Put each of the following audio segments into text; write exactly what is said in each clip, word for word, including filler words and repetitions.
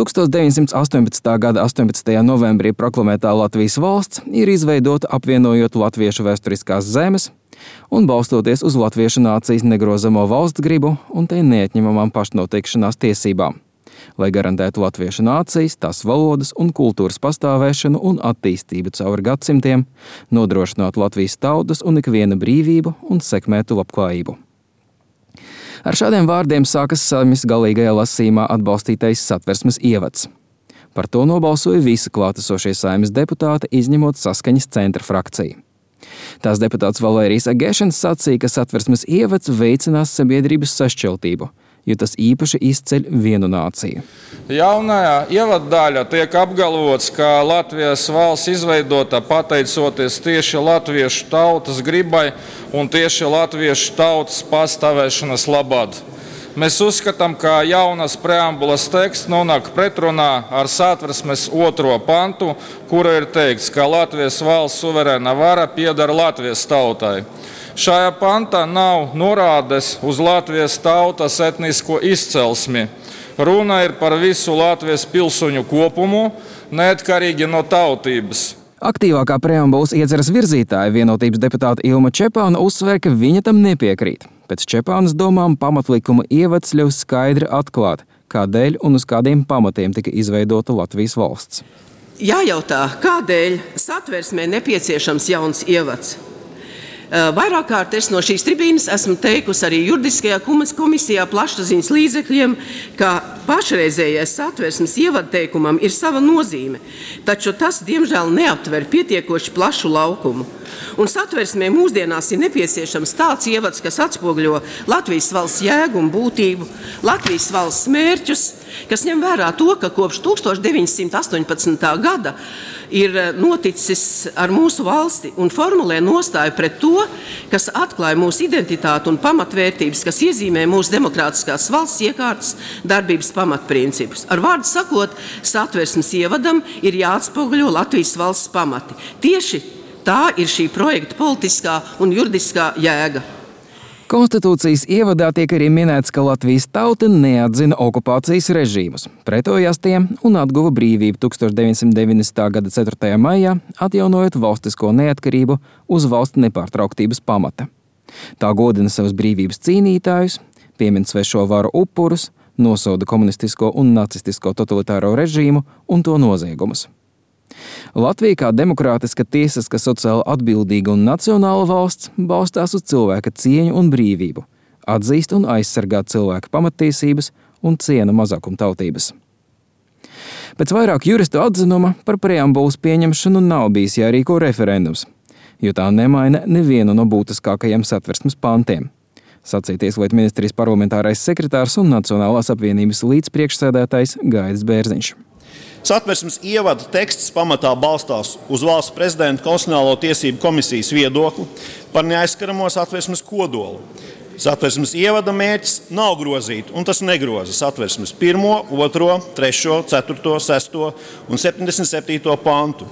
tuksmit deviņsimt astoņpadsmitā gada astoņpadsmitajā novembrī proklamētā Latvijas valsts ir izveidota apvienojot latviešu vēsturiskās zemes un balstoties uz latviešu nācijas negrozamo valsts gribu un tai neatņemamām pašnoteikšanās tiesībām, lai garantētu latviešu nācijas, tās valodas un kultūras pastāvēšanu un attīstību cauri gadsimtiem, nodrošinātu Latvijas tautas un ikviena brīvību un sekmētu labklājību. Ar šādiem vārdiem sākas Saeimas galīgajā lasījumā atbalstītais Satversmes ievads. Par to nobalsoja visi klātesošie Saeimas deputāti, izņemot Saskaņas centra frakciju. Tās deputāts Valērijas Agēšens sacīja, ka Satversmes ievads veicinās sabiedrības sašķeltību, jo tas īpaši izceļ vienu nāciju. Jaunajā ievaddaļā tiek apgalvots, ka Latvijas valsts izveidota pateicoties tieši latviešu tautas gribai un tieši latviešu tautas pastāvēšanas labad. Mēs uzskatām, ka jaunas preambulas teksts nonāk pretrunā ar Satversmes otro pantu, kura ir teikts, ka Latvijas valsts suverēna vara pieder Latvijas tautai. Šajā pantā nav norādes uz Latvijas tautas etnisko izcelsmi. Runa ir par visu Latvijas pilsoņu kopumu, neatkarīgi no tautības. Aktīvākā preambulas ieceres virzītāja vienotības deputāta Ilma Čepāna uzsver, ka viņa tam nepiekrīt. Pēc Čepānas domām pamatlikuma ievads ļaus skaidri atklāt, kādēļ un uz kādiem pamatiem tika izveidota Latvijas valsts. Jājautā, kādēļ Satversmē nepieciešams jauns ievads? Vairāk kārt es no šīs tribīnes esmu teikusi arī juridiskajā komisijā plašsaziņas līdzekļiem, ka pašreizējais Satversmes ievadteikumam ir sava nozīme, taču tas, diemžēl, neaptver pietiekoši plašu laukumu. Un Satversmē mūsdienās ir nepieciešams tāds ievads, kas atspoguļo Latvijas valsts jēgu un būtību, Latvijas valsts mērķus, kas ņem vērā to, ka kopš tūkstoš deviņsimt astoņpadsmitā gada ir noticis ar mūsu valsti un formulē nostāju pret to, kas atklāja mūsu identitāti un pamatvērtības, kas iezīmē mūsu demokrātiskās valsts iekārtas darbības pamatprincipus. Ar vārdu sakot, Satversmes ievadam ir jāatspoguļo Latvijas valsts pamati. Tieši tā ir šī projekta politiskā un juridiskā jēga. Konstitūcijas ievadā tiek arī minēts, ka Latvijas tauta neatzina okupācijas režīmus, pretojās tiem un atguva brīvību tūkstoš deviņsimt deviņdesmitā gada ceturtajā maijā, atjaunojot valstisko neatkarību uz valsts nepārtrauktības pamata. Tā godina savus brīvības cīnītājus, piemin svešo varu upurus, nosoda komunistisko un nacistisko totalitāro režīmu un to noziegumus. Latvija kā demokrātiska, tiesiska, sociāli atbildīga un nacionāla valsts balstās uz cilvēka cieņu un brīvību, atzīst un aizsargā cilvēka pamattiesības un ciena mazākumtautības. Pēc vairāk juristu atzinuma par preambulas pieņemšanu nav bijis jārīko referendums, jo tā nemaina nevienu no būtiskākajiem Satversmes pantiem, sacīja Tieslietu ministrijas parlamentārais sekretārs un Nacionālās apvienības līdzpriekšsēdētājs Gaidis Bērziņš. Satversmes ievada teksts pamatā balstās uz valsts prezidenta konstitucionālo tiesību komisijas viedokli par neaizskaramo Satversmes kodolu. Satversmes ievada mērķis nav grozīt, un tas negroza Satversmes pirmo, otro, trešo, ceturto, sesto un septiņdesmit septīto pantu.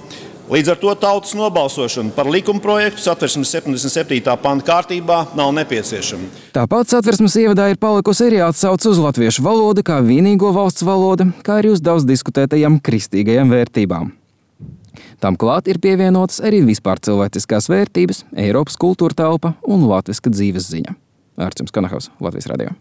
Līdz ar to tautas nobalsošana par likumprojektu Satversmes septiņdesmit septītā panta kārtībā nav nepieciešama. Tāpat Satversmes ievadā ir palikusi arī atsauce uz latviešu valodu kā vienīgo valsts valodu, kā arī uz daudz diskutētajām kristīgajām vērtībām. Tam klāt ir pievienotas arī vispār cilvēciskās vērtības, Eiropas kultūra telpa un latviska dzīves ziņa. Ārčuns Kanahaus, Latvijas radio.